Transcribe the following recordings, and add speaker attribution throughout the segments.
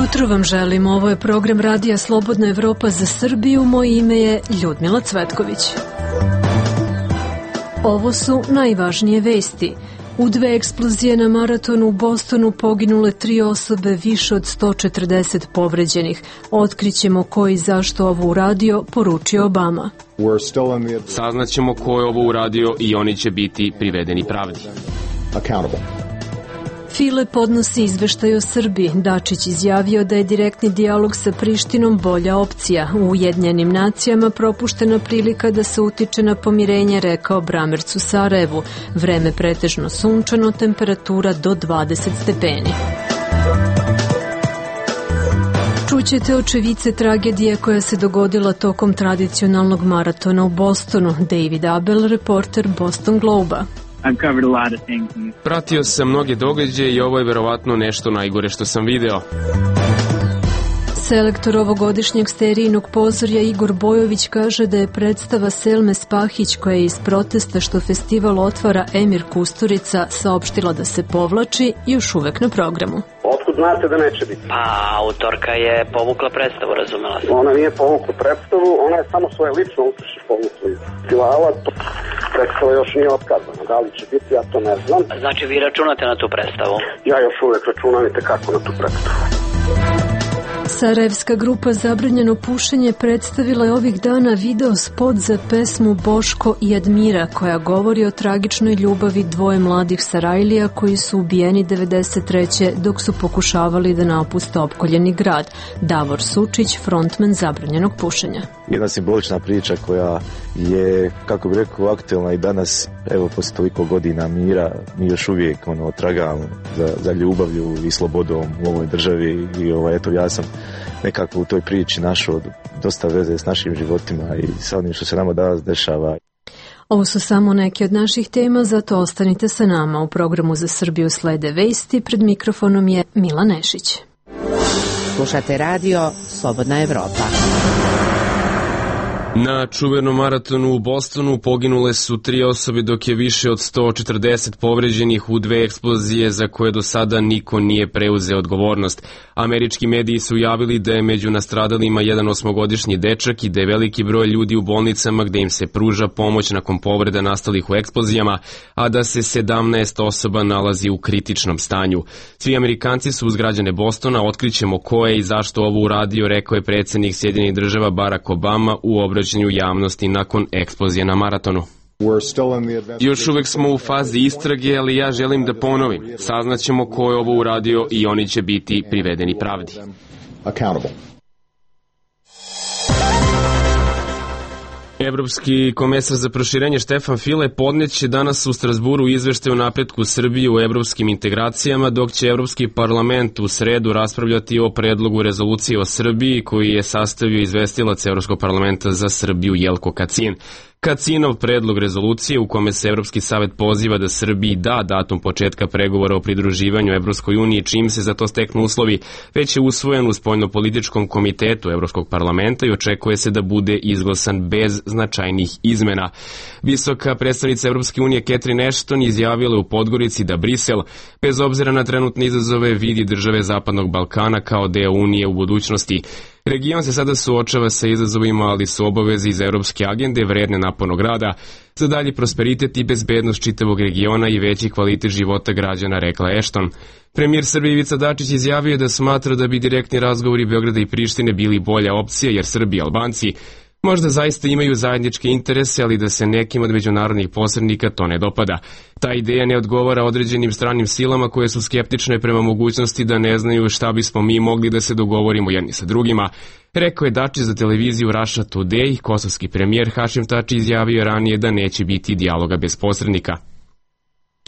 Speaker 1: jutro vam želim. Ovo je program Radija Slobodna Evropa za Srbiju. Moje ime je Ljudmila Cvetković. Ovo su najvažnije vesti. U 2 eksplozije na maratonu u Bostonu poginule 3 osobe, više od 140 povređenih. Otkrićemo ko i zašto ovo uradio, poručio Obama.
Speaker 2: Saznaćemo ko je ovo uradio i oni će biti privedeni pravdi.
Speaker 1: File podnosi izveštaj o Srbiji. Dačić izjavio da je direktni dijalog sa Prištinom bolja opcija. U Ujedinjenim nacijama propuštena prilika da se utiče na pomirenje, rekao Bramerc u Sarajevu. Vreme pretežno sunčano, temperatura do 20 stepeni. Čućete očevice tragedije koja se dogodila tokom tradicionalnog maratona u Bostonu. David Abel, reporter Boston Globe-a.
Speaker 2: Pratio sam mnoge događaje i ovo je verovatno nešto najgore što sam video.
Speaker 1: Selektor ovogodišnjeg sterijnog pozorja Igor Bojović kaže da je predstava Selme Spahić, koja je iz protesta što festival otvara Emir Kusturica, saopštila da se povlači, još uvek na programu.
Speaker 3: Otkud znate da neće biti?
Speaker 4: Pa, autorka je povukla predstavu, razumela sam.
Speaker 3: Ona nije povukla predstavu, ona je samo svoje lično učešće povukla iz festivala. Predstava još nije otkazana. Da li će biti, ja to ne znam.
Speaker 4: Znači, vi računate na tu predstavu?
Speaker 3: Ja još uvek računam i tekako na tu predstavu.
Speaker 1: Sarajevska grupa Zabranjeno pušenje predstavila je ovih dana video spot za pesmu Boško i Admira, koja govori o tragičnoj ljubavi dvoje mladih Sarajlija koji su ubijeni 1993. dok su pokušavali da napuste opkoljeni grad. Davor Sučić, frontman Zabranjenog pušenja.
Speaker 5: Jedna simbolična priča koja je, kako bih rekao, aktuelna i danas, evo, posle toliko godina mira, mi još uvijek tragamo za ljubavlju i slobodom u ovoj državi i eto, ja sam nekako u toj priči našao dosta veze s našim životima i sa onim što se nama danas dešava.
Speaker 1: Ovo su samo neke od naših tema, zato ostanite sa nama. U programu Za Srbiju slede vesti, pred mikrofonom je Mila Nešić.
Speaker 6: Slušate radio Slobodna Evropa.
Speaker 2: Na čuvenom maratonu u Bostonu poginule su 3 osobe, dok je više od 140 povređenih u 2 eksplozije za koje do sada niko nije preuzeo odgovornost. Američki mediji su javili da je među nastradalima jedan 8-godišnji dečak i da je veliki broj ljudi u bolnicama gde im se pruža pomoć nakon povreda nastalih u eksplozijama, a da se 17 osoba nalazi u kritičnom stanju. Svi Amerikanci su uz građane Bostona. Otkrićemo ko je i zašto ovo uradio, rekao je predsjednik Sjedinjenih Država Barack Obama u obraćanju javnosti nakon eksplozije na maratonu. Još uvek smo u fazi istrage, ali ja želim da ponovim. Saznaćemo ko je ovo uradio i oni će biti privedeni pravdi. Evropski komesar za proširenje Štefan File podneće danas u Strazburu izveštaj o napretku Srbije u evropskim integracijama, dok će Evropski parlament u sredu raspravljati o predlogu rezolucije o Srbiji koji je sastavio izvestilac Evropskog parlamenta za Srbiju Jelko Kacin. Kacinov predlog rezolucije u kome se Evropski savet poziva da Srbiji da datum početka pregovora o pridruživanju Evropskoj uniji čim se za to steknu uslovi, već je usvojen u spoljnopolitičkom komitetu Evropskog parlamenta i očekuje se da bude izglasan bez značajnih izmena. Visoka predstavnica Evropske unije Catherine Ashton izjavila u Podgorici da Brisel, bez obzira na trenutne izazove, vidi države Zapadnog Balkana kao deo unije u budućnosti. Region se sada suočava sa izazovima, ali su obaveze iz evropske agende vredne napornog rada za dalji prosperitet i bezbednost čitavog regiona i veći kvalitet života građana, rekla Ashton. Premijer Srbije Ivica Dačić izjavio da smatra da bi direktni razgovori Beograda i Prištine bili bolja opcija, jer Srbi i Albanci možda zaista imaju zajedničke interese, ali da se nekim od međunarodnih posrednika to ne dopada. Ta ideja ne odgovara određenim stranim silama koje su skeptične prema mogućnosti da ne znaju šta bismo mi mogli da se dogovorimo jedni sa drugima, rekao je Dačić za televiziju Russia Today. Kosovski premijer Hašim Tači izjavio ranije da neće biti dijaloga bez posrednika.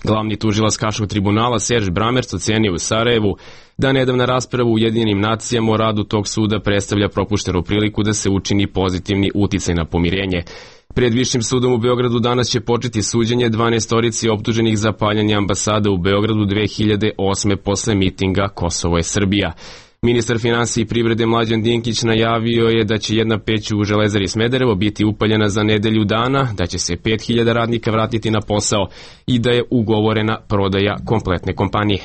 Speaker 2: Glavni tužilac Haškog tribunala Serž Bramerc ocenio u Sarajevu da nedavna rasprava u Ujedinjenim nacijama o radu tog suda predstavlja propuštenu priliku da se učini pozitivni uticaj na pomirenje. Pred Višim sudom u Beogradu danas će početi suđenje 12 optuženih za paljanje ambasade u Beogradu 2008. posle mitinga Kosovo je Srbija. Ministar finansija i privrede Mlađan Dinkić najavio je da će jedna peć u Železari Smederevo biti upaljena za nedelju dana, da će se 5000 radnika vratiti na posao i da je ugovorena prodaja kompletne kompanije.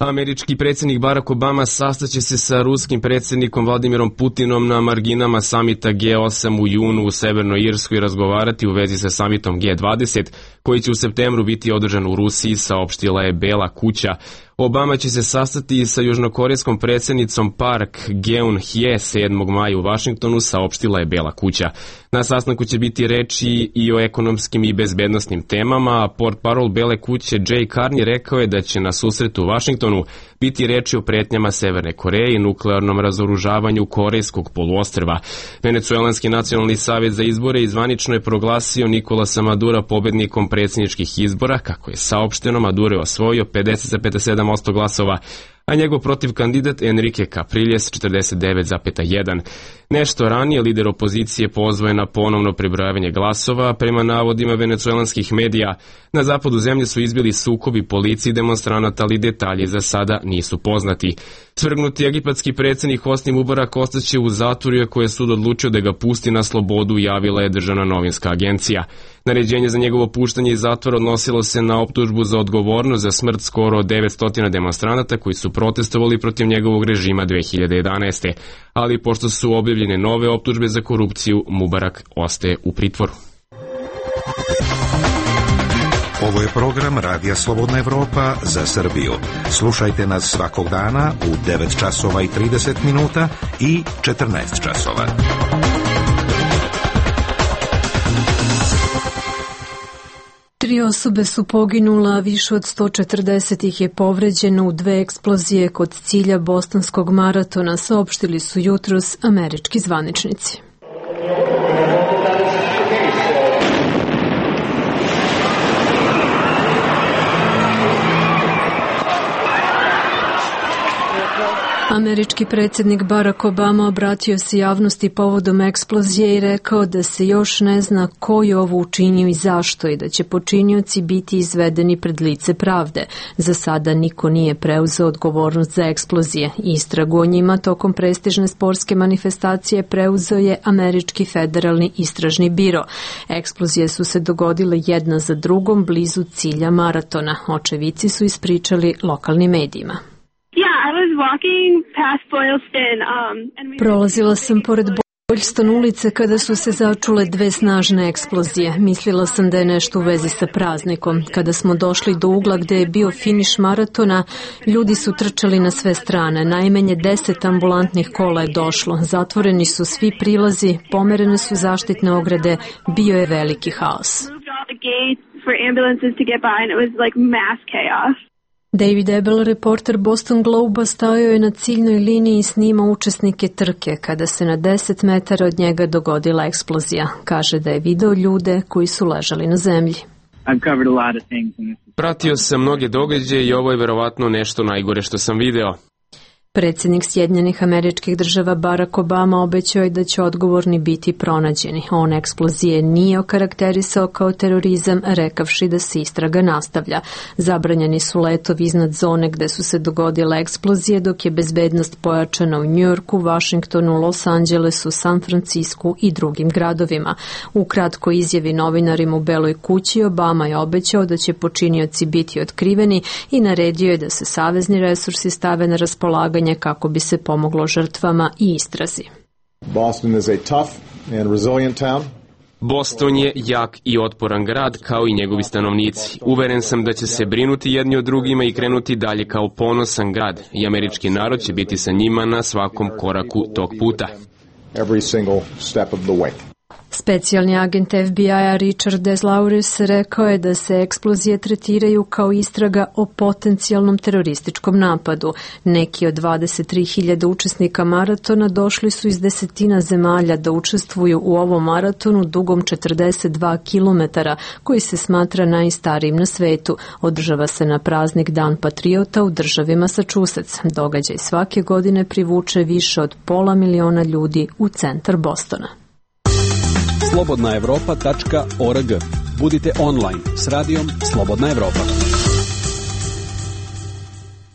Speaker 2: Američki predsjednik Barack Obama sastaće se sa ruskim predsjednikom Vladimirom Putinom na marginama samita G8 u junu u Severnoj Irskoj razgovarati u vezi sa samitom G20, koji će u septembru biti održan u Rusiji, saopštila je Bela kuća. Obama će se sastati i sa južnokorejskom predsjednicom Park Geun-hye 7. maja u Vašingtonu, saopštila je Bela kuća. Na sastanku će biti reči i o ekonomskim i bezbednosnim temama, a portparol Bele kuće Jay Carney rekao je da će na susretu u Vašingtonu biti reči o pretnjama Severne Koreje i nuklearnom razoružavanju Korejskog poluostrva. Venecuelanski nacionalni savjet za izbore zvanično je proglasio Nikolasa Madura pobednikom predsjedničkih izbora. Kako je saopšteno, Maduro je osvojio 50,57% glasova, a njegov protiv kandidat Enrique Capriles 49,1. Nešto ranije lider opozicije pozvao je na ponovno prebrojavanje glasova. Prema navodima venecuelanskih medija, na zapadu zemlje su izbili sukobi policije i demonstranata, ali detalji za sada nisu poznati. Svrgnuti egipatski predsjednik Hosni Mubarak ostaće u zatvoru, iako je sud odlučio da ga pusti na slobodu, javila je državna novinska agencija. Naređenje za njegovo puštanje iz zatvora odnosilo se na optužbu za odgovornost za smrt skoro 900 demonstranata koji su protestovali protiv njegovog režima 2011. Ali pošto su objavljene nove optužbe za korupciju, Mubarak ostaje u pritvoru.
Speaker 7: Ovo je program Radija Slobodna Evropa za Srbiju. Slušajte nas svakog dana u 9 časova i 30 minuta i 14 časova.
Speaker 1: Tri osobe su poginula, više od 140 ih je povređeno u dve eksplozije kod cilja bostonskog maratona, saopštili su jutros američki zvaničnici. Američki predsjednik Barack Obama obratio se javnosti povodom eksplozije i rekao da se još ne zna ko je ovo učinio i zašto i da će počinioci biti izvedeni pred lice pravde. Za sada niko nije preuzeo odgovornost za eksplozije. Istragu o njima tokom prestižne sportske manifestacije preuzeo je Američki federalni istražni biro. Eksplozije su se dogodile jedna za drugom blizu cilja maratona. Očevici su ispričali lokalnim medijima. Prolazila sam pored Boylston ulice kada su se začule dve snažne eksplozije. Mislila sam da je nešto u vezi sa praznikom. Kada smo došli do ugla gde je bio finiš maratona, ljudi su trčali na sve strane. Najmanje 10 ambulantnih kola je došlo. Zatvoreni su svi prilazi, pomerene su zaštitne ograde, bio je veliki haos. David Ebel, reporter Boston Globe-a, stajao je na ciljnoj liniji i snima učesnike trke kada se na 10 metara od njega dogodila eksplozija. Kaže da je video ljude koji su ležali na zemlji.
Speaker 2: Pratio sam mnoge događaje i ovo je verovatno nešto najgore što sam video.
Speaker 1: Predsjednik Sjedinjenih Američkih Država Barack Obama obećao je da će odgovorni biti pronađeni. On eksplozije nije okarakterisao kao terorizam, rekavši da se istraga nastavlja. Zabranjeni su letovi iznad zone gde su se dogodile eksplozije, dok je bezbednost pojačana u Njujorku, Vašingtonu, Los Angelesu, San Francisku i drugim gradovima. U kratkoj izjavi novinarima u Beloj kući Obama je obećao da će počinioci biti otkriveni i naredio je da se savezni resursi stave na raspolaganje kako bi se pomoglo žrtvama i istrazi.
Speaker 2: Boston je jak i otporan grad kao i njegovi stanovnici. Uveren sam da će se brinuti jedni od drugima i krenuti dalje kao ponosan grad i američki narod će biti sa njima na svakom koraku tog puta.
Speaker 1: Specijalni agent FBI-a Richard Deslauris rekao je da se eksplozije tretiraju kao istraga o potencijalnom terorističkom napadu. Neki od 23.000 učesnika maratona došli su iz desetina zemalja da učestvuju u ovom maratonu dugom 42 km, koji se smatra najstarijim na svetu. Održava se na praznik Dan patriota u državi Massachusetts. Događaj svake godine privuče više od 500.000 ljudi u centar Bostona.
Speaker 8: slobodnaevropa.org. Budite online s radijom Slobodna Evropa.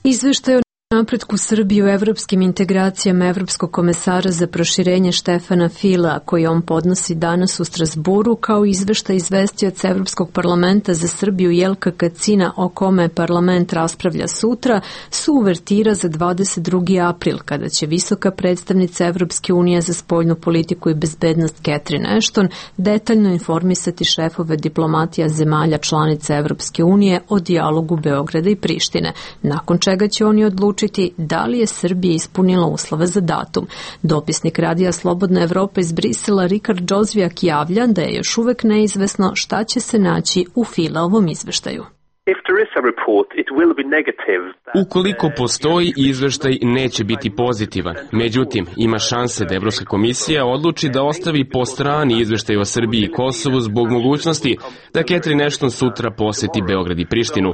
Speaker 1: Izveštaj o Napretku Srbije u evropskim integracijama Evropskog komesara za proširenje Štefana Fila, koji on podnosi danas u Strasburu, kao izveštaj izvestioca Evropskog parlamenta za Srbiju Jelka Kacina, o kome parlament raspravlja sutra, su uvertira za 22. april, kada će visoka predstavnica Evropske unije za spoljnu politiku i bezbednost Catherine Ashton detaljno informisati šefove diplomatija zemalja članica Evropske unije o dijalogu Beograda i Prištine, nakon čega će oni odlučiti da li je Srbija ispunila uslove za datum. Dopisnik Radija Slobodna Evropa iz Brisela Rikard Džozvijak javlja da je još uvek neizvesno šta će se naći u Filaovom izveštaju.
Speaker 2: Ukoliko postoji, izveštaj neće biti pozitivan. Međutim, ima šanse da Evropska komisija odluči da ostavi po strani izveštaj o Srbiji i Kosovu zbog mogućnosti da Catherine Ashton sutra poseti Beograd i Prištinu.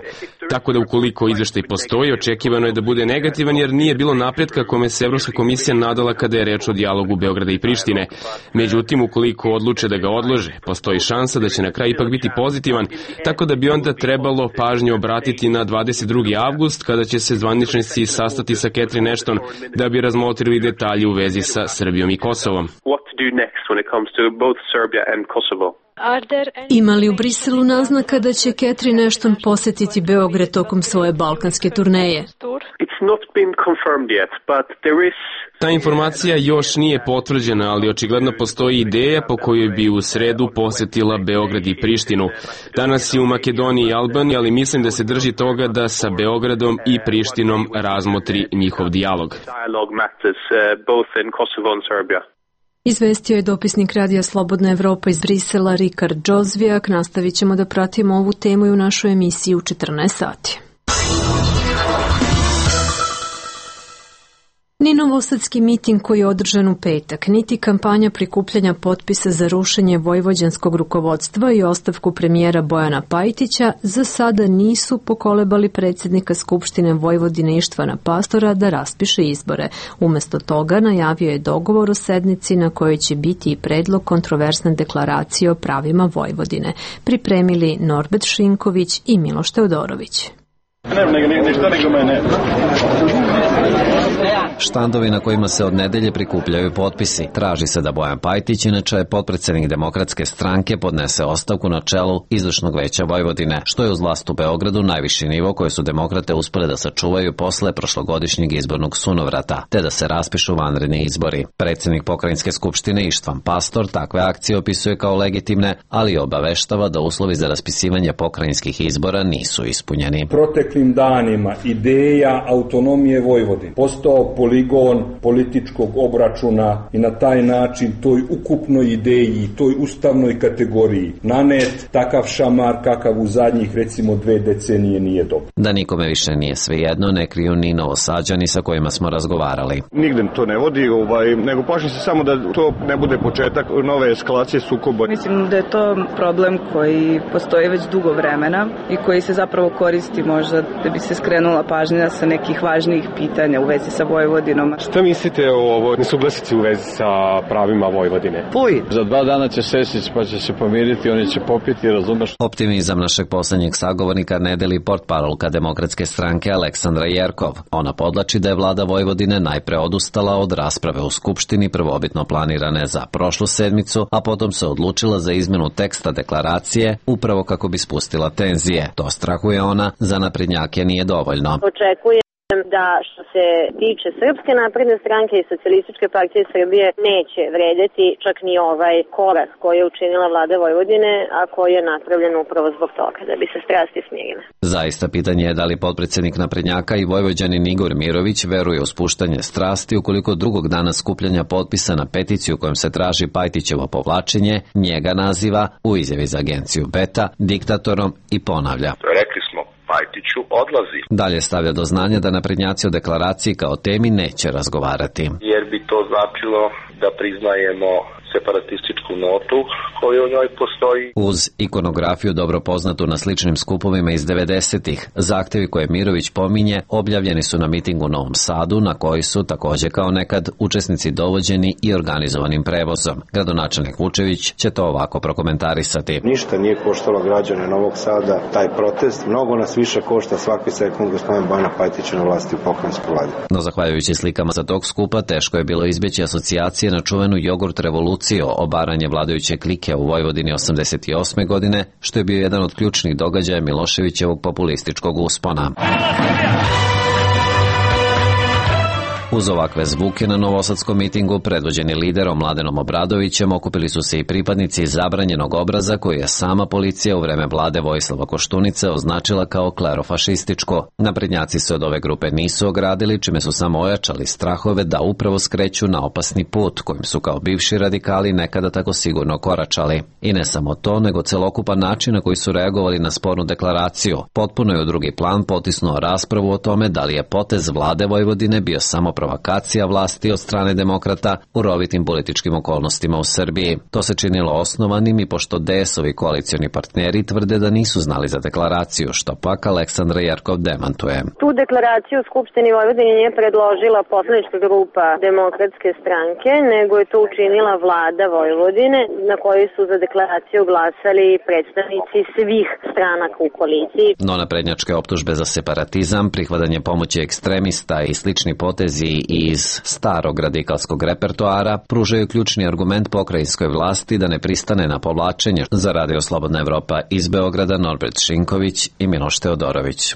Speaker 2: Tako da ukoliko izveštaj postoji, očekivano je da bude negativan jer nije bilo napretka kome se Evropska komisija nadala kada je reč o dijalogu Beograda i Prištine. Međutim, ukoliko odluče da ga odlože, postoji šansa da će na kraju ipak biti pozitivan, tako da bi onda trebalo pažnju obratiti na 22. avgust kada će se zvaničnici sastati sa Catherine Ashton da bi razmotrili detalje u vezi sa Srbijom i Kosovom.
Speaker 1: Ima li u Briselu naznaka da će Catherine Ashton posetiti Beograd tokom svoje balkanske turneje?
Speaker 2: Ta informacija još nije potvrđena, ali očigledno postoji ideja po kojoj bi u sredu posetila Beograd i Prištinu. Danas je u Makedoniji i Albaniji, ali mislim da se drži toga da sa Beogradom i Prištinom razmotri njihov dijalog.
Speaker 1: Izvestio je dopisnik Radija Slobodna Evropa iz Brisela Rikard Džozvijak. Nastavit ćemo da pratimo ovu temu i u našoj emisiji u 14 sati. Ni novosadski miting koji je održan u petak, niti kampanja prikupljanja potpisa za rušenje vojvođanskog rukovodstva i ostavku premijera Bojana Pajtića za sada nisu pokolebali predsjednika Skupštine Vojvodine Ištvana Pastora da raspiše izbore. Umesto toga najavio je dogovor o sednici na kojoj će biti i predlog kontroversne deklaracije o pravima Vojvodine. Pripremili Norbert Šinković i Miloš Teodorović.
Speaker 9: Štandovi na kojima se od nedelje prikupljaju potpisi. Traži se da Bojan Pajtić, inače potpredsednik Demokratske stranke, podnese ostavku na čelu Izvršnog veća Vojvodine, što je uz vlast u Beogradu najviši nivo koje su demokrate uspele da sačuvaju posle prošlogodišnjeg izbornog sunovrata, te da se raspišu vanredni izbori. Predsjednik Pokrajinske skupštine Ištvan Pastor takve akcije opisuje kao legitimne, ali obaveštava da uslovi za raspisivanje pokrajinskih izbora nisu ispunjeni.
Speaker 10: Proteklim danima ideja autonomije Vojvodine postao poligon političkog obračuna i na taj način toj ukupnoj ideji, toj ustavnoj kategoriji nanet takav šamar kakav u zadnjih recimo 2 decenije nije dobro.
Speaker 9: Da nikome više nije svejedno, ne kriju ni Novosađani sa kojima smo razgovarali.
Speaker 11: Nigde to ne vodi, nego plašim se samo da to ne bude početak nove eskalacije sukoba.
Speaker 12: Mislim da je to problem koji postoji već dugo vremena i koji se zapravo koristi možda da bi se skrenula pažnja sa nekih važnijih pitanja u vezi sa Vojvodinom.
Speaker 13: Šta mislite o ovoj nesuglasici u vezi sa pravima Vojvodine?
Speaker 14: Za 2 dana će Sesić pa će se pomiriti, oni će popiti, razumeš?
Speaker 9: Optimizam našeg poslednjeg sagovornika ne deli portparolka Demokratske stranke Aleksandra Jerkov. Ona podlači da je vlada Vojvodine najpre odustala od rasprave u Skupštini prvobitno planirane za prošlu sedmicu, a potom se odlučila za izmenu teksta deklaracije upravo kako bi spustila tenzije. To, strahuje ona, za naprednjake nije dovoljno.
Speaker 15: Očekuje da što se tiče Srpske napredne stranke i Socijalističke partije Srbije neće vredeti čak ni ovaj korak koji je učinila vlada Vojvodine, a koji je napravljen upravo zbog toga, da bi se strasti smirile.
Speaker 9: Zaista pitanje je da li potpredsednik naprednjaka i Vojvođanin Igor Mirović veruje u spuštanje strasti ukoliko drugog dana skupljanja potpisa na peticiju kojom se traži Pajtićevo povlačenje njega naziva u izjavi za agenciju Beta diktatorom i ponavlja.
Speaker 16: Rekli smo Pajtiću odlazi.
Speaker 9: Dalje stavlja do znanja da naprednjaci o deklaraciji kao temi neće razgovarati.
Speaker 16: Jer bi to značilo da priznajemo separatističku notu koja u njoj postoji.
Speaker 9: Uz ikonografiju dobro poznatu na sličnim skupovima iz 90-ih, zahtevi koje Mirović pominje objavljeni su na mitingu u Novom Sadu, na koji su takođe kao nekad učesnici dovođeni i organizovanim prevozom. Gradonačelnik Vučević će to ovako prokomentarisati.
Speaker 17: Ništa nije koštalo građane Novog Sada taj protest, mnogo nas više košta svaki sekund gospodin Bojana Pajtića na vlasti u pokrajinskoj vladi.
Speaker 9: No zahvaljujući slikama sa tog skupa teško je bilo izbeći asocijacije na čuvenu jogurt revoluciju, obaranje vladajuće klike u Vojvodini 88. godine, što je bio jedan od ključnih događaja Miloševićevog populističkog uspona. Uz ovakve zvuke na novosadskom mitingu, predvođeni liderom Mladenom Obradovićem, okupili su se i pripadnici zabranjenog obraza koji je sama policija u vreme vlade Vojislava Koštunice označila kao klerofašističko. Naprednjaci se od ove grupe nisu ogradili, čime su samo ojačali strahove da upravo skreću na opasni put, kojim su kao bivši radikali nekada tako sigurno koračali. I ne samo to, nego celokupan način na koji su reagovali na spornu deklaraciju. Potpuno je u drugi plan potisnuo raspravu o tome da li je potez vlade Vojvodine bio samo provokacija vlasti od strane demokrata u rovitim političkim okolnostima u Srbiji. To se činilo osnovanim i pošto DS-ovi koalicioni partneri tvrde da nisu znali za deklaraciju, što pak Aleksandra Jerkov demantuje.
Speaker 15: Tu deklaraciju u Skupštini Vojvodine nije predložila poslanička grupa Demokratske stranke, nego je to učinila vlada Vojvodine, na kojoj su za deklaraciju glasali predstavnici svih stranaka u koaliciji.
Speaker 9: No naprednjačke optužbe za separatizam, prihvatanje pomoći ekstremista i slični potezi iz starog radikalskog repertoara pružaju ključni argument pokrajinskoj vlasti da ne pristane na povlačenje, za Radio Slobodna Evropa iz Beograda Norbert Šinković i Miloš Teodorović.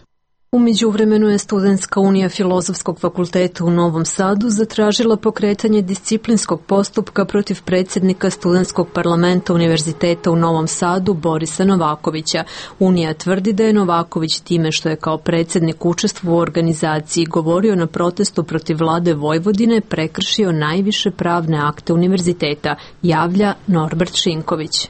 Speaker 1: U međuvremenu je Studentska unija Filozofskog fakulteta u Novom Sadu zatražila pokretanje disciplinskog postupka protiv predsjednika Studentskog parlamenta Univerziteta u Novom Sadu Borisa Novakovića. Unija tvrdi da je Novaković time što je kao predsjednik učestvovao u organizaciji i govorio na protestu protiv vlade Vojvodine prekršio najviše pravne akte univerziteta, javlja Norbert Šinković.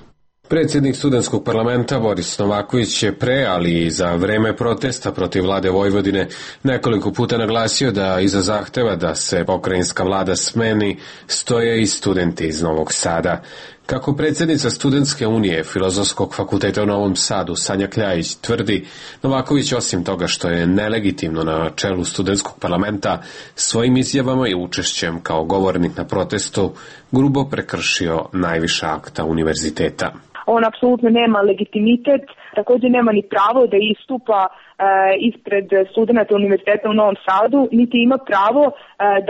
Speaker 13: Predsjednik Studentskog parlamenta Boris Novaković je pre, ali i za vreme protesta protiv vlade Vojvodine nekoliko puta naglasio da iza zahteva da se pokrajinska vlada smeni stoje i studenti iz Novog Sada. Kako predsjednica Studentske unije Filozofskog fakulteta u Novom Sadu Sanja Kljajić tvrdi, Novaković osim toga što je nelegitimno na čelu Studentskog parlamenta, svojim izjavama i učešćem kao govornik na protestu grubo prekršio najviša akta univerziteta.
Speaker 18: On apsolutno nema legitimitet, također nema ni pravo da istupa ispred studenata univerziteta u Novom Sadu, niti ima pravo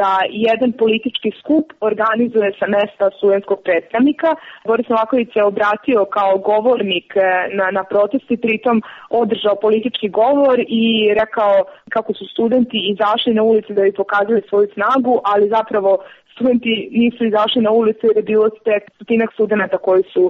Speaker 18: da jedan politički skup organizuje sa mesta studentskog predstavnika. Boris Novaković se obratio kao govornik na protesti, pritom održao politički govor i rekao kako su studenti izašli na ulicu da bi pokazali svoju snagu, ali zapravo studenti nisu izašli na ulicu jer je bilo tek stotinak studenata koji su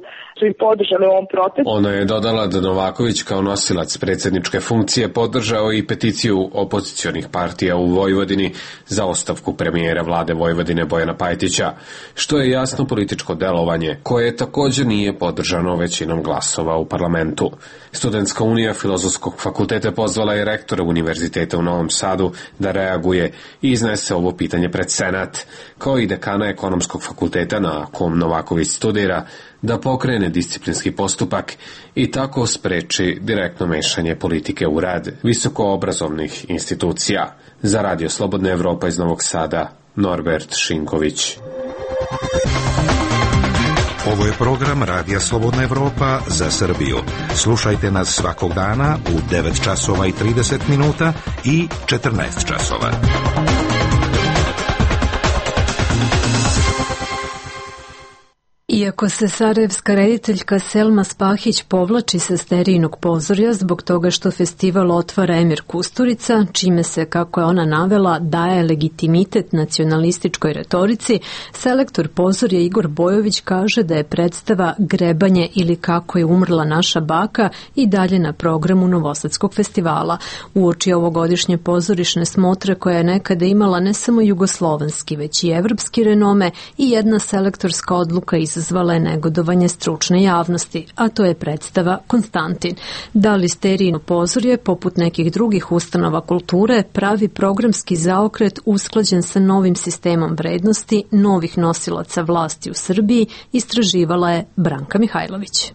Speaker 18: ih podržali u ovom protestu.
Speaker 13: Ona je dodala da Novaković kao nosilac predsjedničke funkcije podržao i peticiju opozicionih partija u Vojvodini za ostavku premijera vlade Vojvodine Bojana Pajtića, što je jasno političko delovanje koje također nije podržano većinom glasova u parlamentu. Studentska unija Filozofskog fakulteta pozvala je rektora univerziteta u Novom Sadu da reaguje i iznese ovo pitanje pred Senat, kao i dekana ekonomskog fakulteta na kom Novaković studira, da pokrene disciplinski postupak i tako spreči direktno mešanje politike u rad visokoobrazovnih institucija. Za Radio Slobodna Evropa iz Novog Sada, Norbert Šinković.
Speaker 7: Ovo je program Radija Slobodna Evropa za Srbiju. Slušajte nas svakog dana u 9 časova i 30 minuta i 14 časova.
Speaker 1: Iako se sarajevska rediteljka Selma Spahić povlači sa sterijnog pozorja zbog toga što festival otvara Emir Kusturica, čime se, kako je ona navela, daje legitimitet nacionalističkoj retorici, selektor pozorja Igor Bojović kaže da je predstava Grebanje ili kako je umrla naša baka i dalje na programu Novosadskog festivala. Uoči ovogodišnje pozorišne smotre koja je nekada imala ne samo jugoslovenski, već i evropski renome i jedna selektorska odluka izazvala izazvala je negodovanje stručne javnosti, a to je predstava Konstantin. Da li Sterijino pozorje, poput nekih drugih ustanova kulture, pravi programski zaokret usklađen sa novim sistemom vrednosti novih nosilaca vlasti u Srbiji, istraživala je Branka Mihajlović.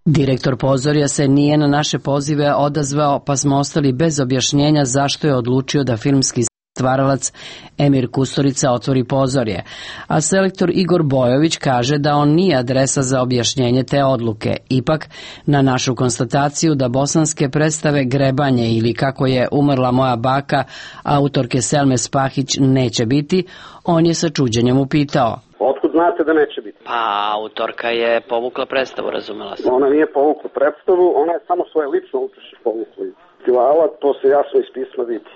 Speaker 19: Direktor pozorja se nije na naše pozive odazvao, pa smo ostali bez objašnjenja zašto je odlučio da filmski stvaralac Emir Kusturica otvori pozorje, a selektor Igor Bojović kaže da on nije adresa za objašnjenje te odluke. Ipak, na našu konstataciju da bosanske predstave Grebanje ili Kako je umrla moja baka autorke Selme Spahić neće biti, on je sa čuđenjem upitao:
Speaker 3: Otkud znate da neće biti?
Speaker 4: Pa, autorka je povukla predstavu, razumela sam.
Speaker 3: Ona nije povukla predstavu, ona je samo svoje lično učešće povukla iz filala, to se jasno iz pisma vidi.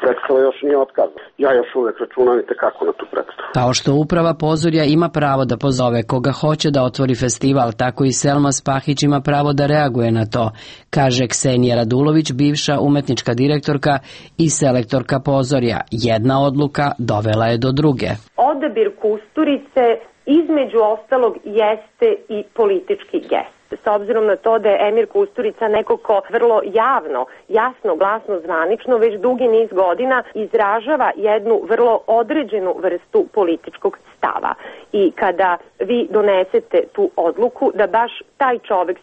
Speaker 3: Predstava još nije otkazana. Ja još uvek računam i tekako na tu predstavu.
Speaker 19: Kao što uprava pozorja ima pravo da pozove koga hoće da otvori festival, tako i Selma Spahić ima pravo da reaguje na to, kaže Ksenija Radulović, bivša umetnička direktorka i selektorka pozorja. Jedna odluka dovela je do druge.
Speaker 20: Odabir Kusturice između ostalog jeste i politički gest. S obzirom na to da je Emir Kusturica neko ko vrlo javno, jasno, glasno, zvanično, već dugi niz godina izražava jednu vrlo određenu vrstu političkog stava. I kada vi donesete tu odluku da baš taj čovek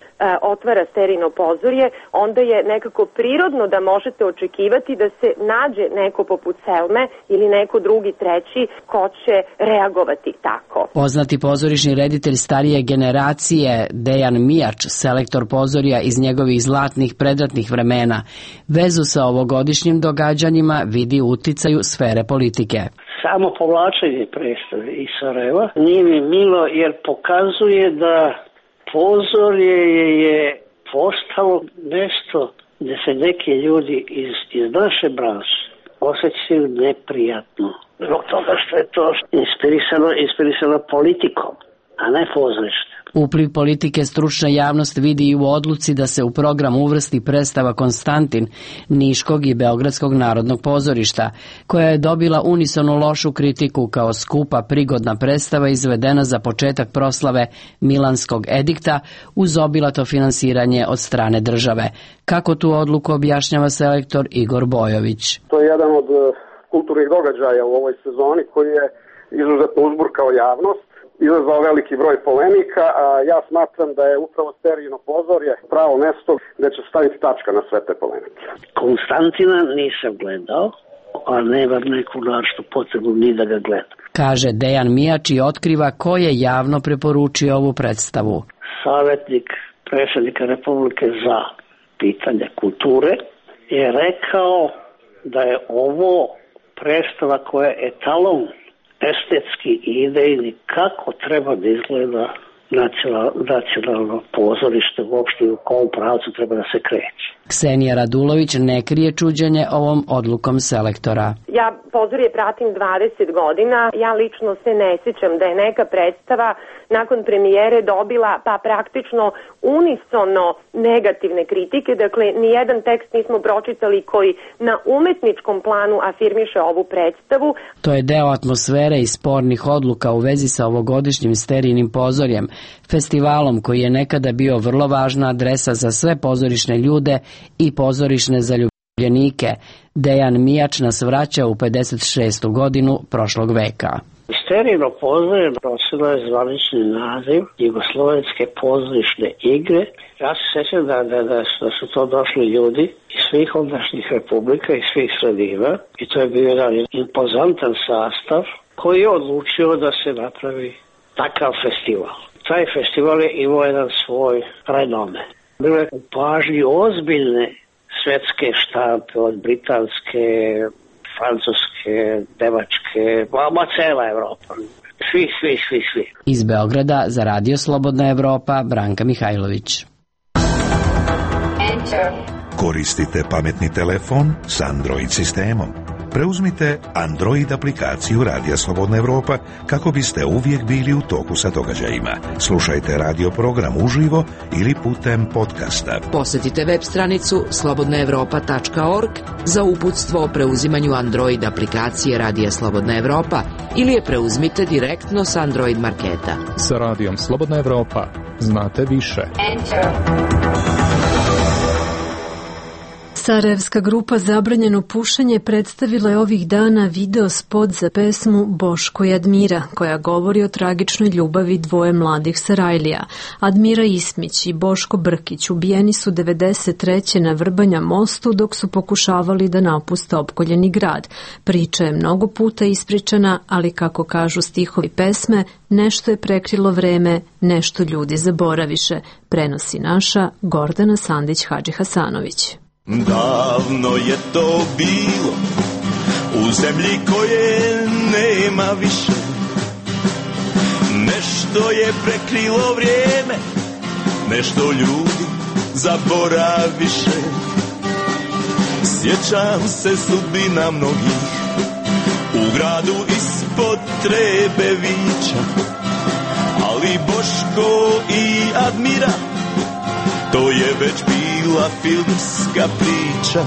Speaker 20: otvara Sterijino pozorje, onda je nekako prirodno da možete očekivati da se nađe neko poput Selme ili neko drugi, treći, ko će reagovati tako.
Speaker 19: Poznati pozorišni reditelj starije generacije Dejan Mijač, selektor pozorja iz njegovih zlatnih predratnih vremena, vezu sa ovogodišnjim događanjima vidi u uticaju sfere politike.
Speaker 21: Samo povlačenje predstave iz Sarajeva nije mi milo, jer pokazuje da pozorje je postalo nešto gde se neki ljudi iz naše branše osjećaju neprijatno. Zbog toga što je to inspirisano politikom, a ne pozorište.
Speaker 19: Upliv politike stručna javnost vidi i u odluci da se u program uvrsti predstava Konstantin Niškog i Beogradskog narodnog pozorišta, koja je dobila unisonu lošu kritiku kao skupa prigodna predstava izvedena za početak proslave Milanskog edikta uz obilato finansiranje od strane države. Kako tu odluku objašnjava selektor Igor Bojović?
Speaker 3: To je jedan od kulturnih događaja u ovoj sezoni koji je izuzetno uzburkao javnost, izazvao veliki broj polemika, a ja smatram da je upravo Sterijino pozorje pravo mesto gde će staviti tačka na sve te polemike.
Speaker 21: Konstantina nisam gledao, a nemam neku našu potrebu ni da ga gledam.
Speaker 19: Kaže Dejan Mijač i otkriva ko je javno preporučio ovu predstavu.
Speaker 21: Savjetnik predsjednika Republike za pitanje kulture je rekao da je ovo predstava koja je etalon estetski i idejni kako treba da izgleda nacionalno pozorište uopšte u kom pravcu treba da se kreće.
Speaker 19: Ksenija Radulović ne krije čuđenje ovom odlukom selektora.
Speaker 20: Ja pozorje pratim 20 godina, ja lično se ne sjećam da je neka predstava nakon premijere dobila pa praktično unisono negativne kritike, dakle nijedan tekst nismo pročitali koji na umetničkom planu afirmiše ovu predstavu.
Speaker 19: To je deo atmosfere i spornih odluka u vezi sa ovogodišnjim Sterijinim pozorjem, festivalom koji je nekada bio vrlo važna adresa za sve pozorišne ljude i pozorišne zaljubljenike. Dejan Mijač nas vraća u 56. godinu prošlog veka.
Speaker 21: Sterijino pozorje nosilo je zvanični naziv Jugoslovenske pozorišne igre. Ja se sjećam da su to došli ljudi iz svih ondašnjih republika i svih sredina i to je bio jedan impozantan sastav koji je odlučio da se napravi takav festival. Taj festival je imao jedan svoj renome. Bilo je u pažnji ozbiljne svetske štampe od britanske, francuske, nemačke, cela Evropa. Svi.
Speaker 19: Iz Beograda za Radio Slobodna Evropa, Branka Mihajlović.
Speaker 7: Koristite pametni telefon s Android sistemom. Preuzmite Android aplikaciju Radija Slobodna Evropa kako biste uvijek bili u toku sa događajima. Slušajte radio program uživo ili putem podcasta.
Speaker 6: Posjetite web stranicu slobodnaevropa.org za uputstvo o preuzimanju Android aplikacije Radija Slobodna Evropa ili je preuzmite direktno s Android marketa.
Speaker 5: Sa Radijom Slobodna Evropa znate više.
Speaker 1: Sarajevska grupa Zabranjeno pušenje predstavila je ovih dana video spot za pesmu Boško i Admira, koja govori o tragičnoj ljubavi dvoje mladih Sarajlija. Admira Ismić i Boško Brkić ubijeni su 93. na Vrbanja mostu dok su pokušavali da napuste opkoljeni grad. Priča je mnogo puta ispričana, ali kako kažu stihovi pesme, nešto je prekrilo vreme, nešto ljudi zaboraviše, prenosi naša Gordana Sandić-Hadžihasanović.
Speaker 22: Davno je to bilo u zemlji koje nema više. Nešto je prekrilo vrijeme, nešto ljudi zaboraviše. Sjećam se sudbina mnogih u gradu ispod trebe vića, ali Boško i Admira, to je već bila filmska priča.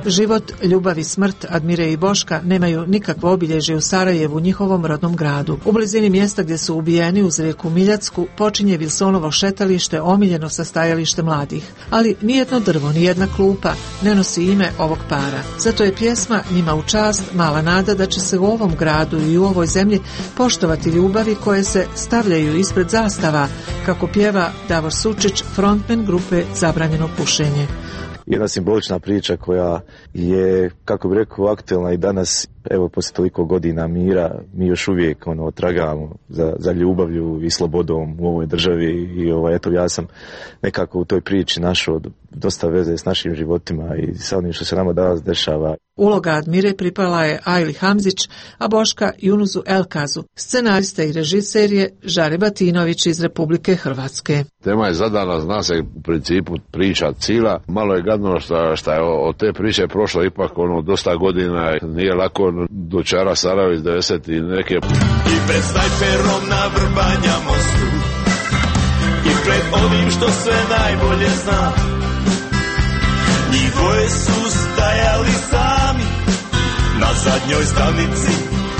Speaker 23: Život, ljubav i smrt Admire i Boška nemaju nikakvo obilježje u Sarajevu, njihovom rodnom gradu. U blizini mjesta gdje su ubijeni uz rijeku Miljacku počinje Vilsonovo šetalište, omiljeno sastajalište mladih. Ali nijedno drvo, nijedna klupa ne nosi ime ovog para. Zato je pjesma njima u čast mala nada da će se u ovom gradu i u ovoj zemlji poštovati ljubavi koje se stavljaju ispred zastava, kako pjeva Davor Sučić, frontman grupe Zabranjeno pušenje.
Speaker 24: Jedna simbolična priča koja je, kako bih rekao, aktualna i danas. Evo, poslije toliko godina mira, mi još uvijek tragamo za ljubavlju i slobodom u ovoj državi i eto, ja sam nekako u toj priči našao dosta veze s našim životima i sa onim što se nama danas dešava.
Speaker 23: Uloga Admire pripala je Ajli Hamzić, a Boška Junuzu Elkazu. Scenarista i režiser je Žare Batinović iz Republike Hrvatske.
Speaker 25: Tema je zadana, zna se u principu priča cila. Malo je gadno što je od te priče prošlo ipak dosta godina. Nije lako dočara Sarajevo iz 90 i neke.
Speaker 22: I pred snajperom na Vrbanja mostu, i pred onim što sve najbolje zna, njih dvoje su stajali sami na zadnjoj stanici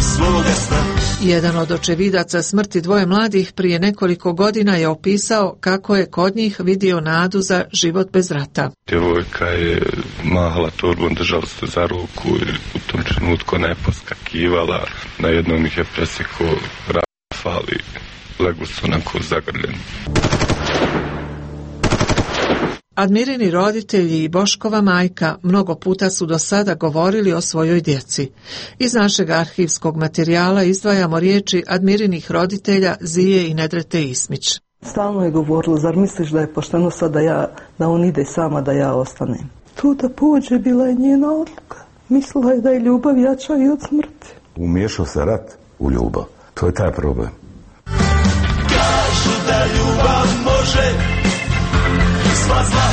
Speaker 22: svoga sna.
Speaker 23: Jedan od očevidaca smrti dvoje mladih prije nekoliko godina je opisao kako je kod njih vidio nadu za život bez rata.
Speaker 26: Djevojka je mahala torbom, držala se za ruku i u tom trenutku ona je poskakivala. Na jednom ih je presjekao rafal i legli su onako zagrljeni.
Speaker 23: Admirini roditelji i Boškova majka mnogo puta su do sada govorili o svojoj djeci. Iz našeg arhivskog materijala izdvajamo riječi Admirinih roditelja Zije i Nedrete Ismić.
Speaker 27: Stalno je govorilo, zar misliš da je pošteno sad da on ide sama, da ja ostanem? Tu da pođe bila je njena odluka. Mislila je da je ljubav jača i od smrti.
Speaker 28: Umiješao se rat u ljubav. To je taj problem.
Speaker 22: Kažu da ljubav može sva zla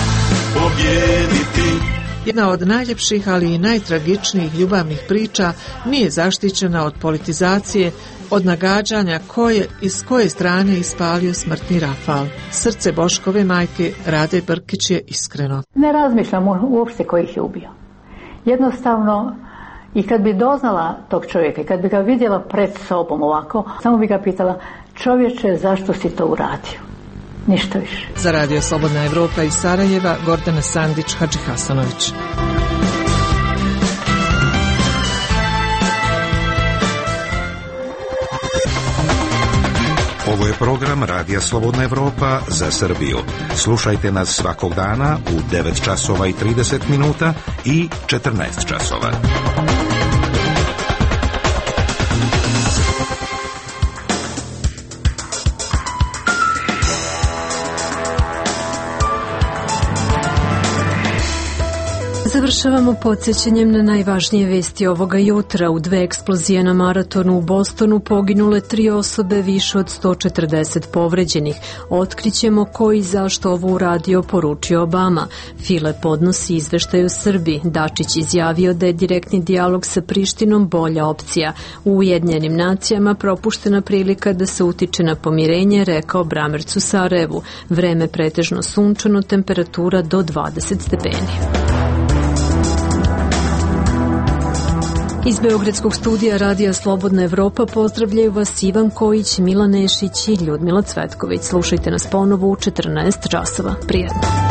Speaker 22: pobjediti.
Speaker 23: Jedna od najljepših, ali i najtragičnijih ljubavnih priča nije zaštićena od politizacije, od nagađanja ko je i s koje strane ispalio smrtni rafal. Srce Boškove majke Rade Brkić je iskreno.
Speaker 29: Ne razmišljam uopšte ko ih je ubio. Jednostavno, i kad bi doznala tog čovjeka, i kad bi ga vidjela pred sobom ovako, samo bi ga pitala: čovječe, zašto si to uradio? Ništa više.
Speaker 23: Za Radio Slobodna Evropa iz Sarajeva, Gordana Sandić-Hadžihasanović.
Speaker 7: Ovo je program Radija Slobodna Evropa za Srbiju. Slušajte nas svakog dana u 9 časova i 30 minuta i 14 časova.
Speaker 1: Završavamo podsjećanjem na najvažnije vesti ovoga jutra. U 2 eksplozije na maratonu u Bostonu poginule 3 osobe, više od 140 povređenih. Otkrićemo ko i zašto ovo uradio, poručio Obama. File podnosi izveštaj o Srbiji. Dačić izjavio da je direktni dijalog sa Prištinom bolja opcija. U Ujedinjenim nacijama propuštena prilika da se utiče na pomirenje, rekao Bramerc u Sarajevu. Vreme pretežno sunčano, temperatura do 20 stepeni. Iz Beogradskog studija Radija Slobodna Evropa pozdravljaju vas Ivan Kojić, Milan Nešić i Ljudmila Cvetković. Slušajte nas ponovo u 14 časova. Prijetno.